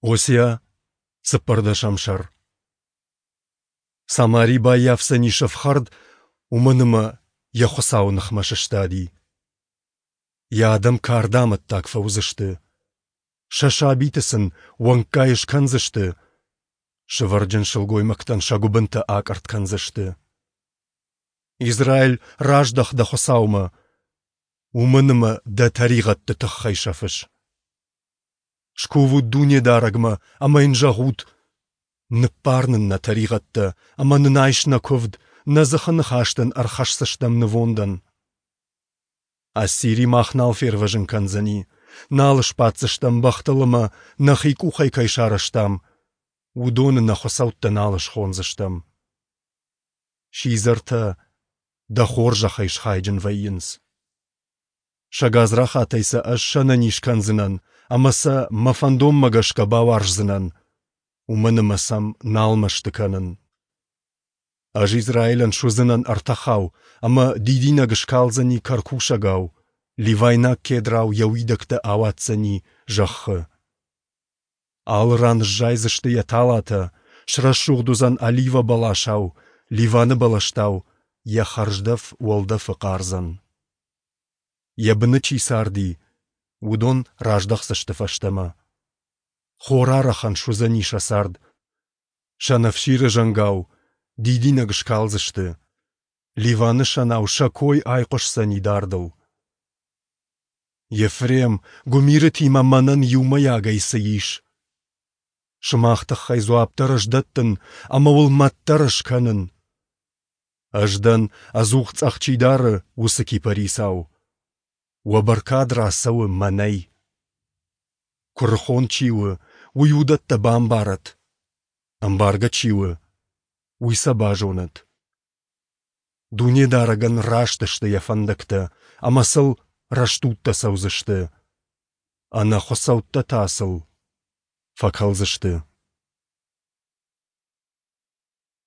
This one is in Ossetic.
Осиа, цыппӕрдӕсӕм сӕр. Самари баййафдзӕнис ӕфхӕрд, уымӕн ӕмӕ йӕ Хуыцауы ныхмӕ сыстади. Йӕ адӕм карды амӕттаг фӕуыдзысты. Сӕ сабиты сын уӕнггай скӕндзысты, сывӕрджын сылгоймӕгтӕн сӕ гуыбынтӕ акъӕртт кӕндзысты. Израиль, раздӕх дӕ Хуыцаумӕ, уымӕн ӕмӕ дӕ тӕригъӕдты тыххӕй сӕфыс. Скувут Дунедарӕгмӕ ӕмӕ йын зӕгъут: Ныббар нын нӕ тӕригъӕдтӕ ӕмӕ нын айс нӕ куывд, нӕ дзыхы ныхас дын ӕрхӕсдзыстӕм нывондӕн. Ассири мах нал фервӕзын кӕндзӕни, нал сбаддзыстӕм бӕхтыл ӕмӕ, нӕхи къухӕй кӕй сарӕзтам, уыдоны нӕ хуыцӕуттӕ нал схондзыстӕм. Сидзӕртӕ дӕ хорзӕхӕй схайджын вӕййынц. Сӕ гадзрахатӕй сӕ ӕз сӕнӕниз кӕндзынӕн ӕмӕ сӕ мӕ фӕндонмӕ гӕсгӕ бауарздзынӕн, уымӕн ӕмӕ сӕм нал мӕсты кӕнын. Ӕз Израилӕн суыдзынӕн ӕртӕхау, ӕмӕ дидинӕг скалдзӕни кӕркусӕгау, ливайнаг кедрау йӕ уидӕгтӕ ауадздзӕни зӕххы. Алы ран сзайдзысты йӕ талатӕ, срӕсугъд уыдзӕн оливӕ бӕласау, Ливаны бӕлӕстау йӕ хӕрздӕф уӕлдӕфы хъардзӕн. Йӕ быны чи царди, уыдон раздӕхдзысты фӕстӕмӕ. Хорарӕхӕн суыдзӕни сӕ цард. Сӕнӕфсиры зӕнгау дидинӕг скалдзысты. Ливаны сӕнау сӕ кой айхъуысдзӕни дардыл. Ефрем, гуымирытимӕ мӕнӕн иумӕйагӕй цы ис? Сымах тыххӕй дзуапп дӕр ӕз дӕттын ӕмӕ уыл мӕт дӕр ӕз кӕнын. Ӕз дӕн, ӕдзух цъӕх чи дары, уыцы кипарисау. Уӕ бӕркад рацӕуы мӕнӕй. Куырыхон чи у, уый уыдӕттӕ бамбарӕд. Ӕмбаргӕ чи у, уый сӕ базонӕд. Дунедарӕгӕн раст сты йӕ фӕндӕгтӕ, ӕмӕ сыл рӕстудтӕ цӕудзысты. Ӕнӕхуыцӕуттӕ та сыл фӕкӕлдзысты.